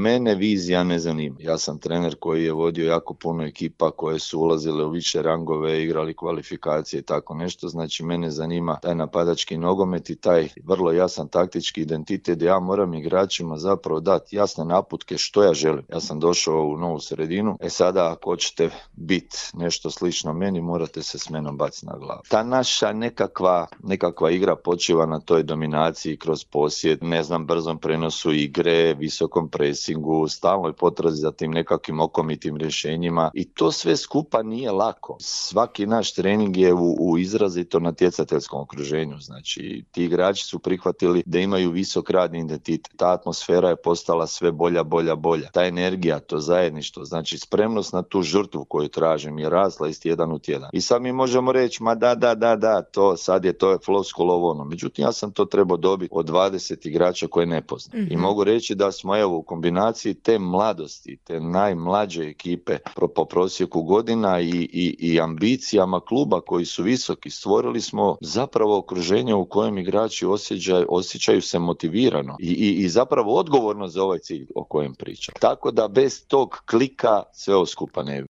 mene vizija ne zanima. Ja sam trener koji je vodio jako puno ekipa koje su ulazile u više rangove, igrali kvalifikacije i tako nešto, znači mene zanima taj napadački nogomet i taj vrlo jasan taktički identitet gdje ja moram igračima zapravo dati jasne naputke što ja želim. Ja sam došao u novu sredinu, sada ako hoćete biti nešto slično meni, morate se s menom baciti na glavu. Ta naša nekakva igra počiva na toj dominaciji kroz posjed, brzom prenosu igre, visokom presingu, stalnoj potrazi za tim nekakvim okomitim rješenjima i to sve skupa nije lako. Svaki naš trening je u izrazito natjecateljskom okruženju, znači ti igrači su prihvatili da imaju visok radni identitet, ta atmosfera je postala sve bolja. Ta energija, to zajedništvo, znači spremnost na tu žrtvu koju tražim je rasla iz tjedan u tjedan. I sad mi možemo reći, ma da, to je floskula ovo ono. Međutim, ja sam to trebao dobiti od 20 igrača koje ne poznam. Mm-hmm. I mogu reći da smo u kombinaciji te mladosti, te najmlađe ekipe po prosjeku godina i ambicijama kluba koji su visoki, stvorili smo zapravo okruženje u kojem igrači osjećaju se motivirano i zapravo odgovorno za ovaj cilj o kojem pričam. Tako da bez tog klika sve ovo skupa ne bi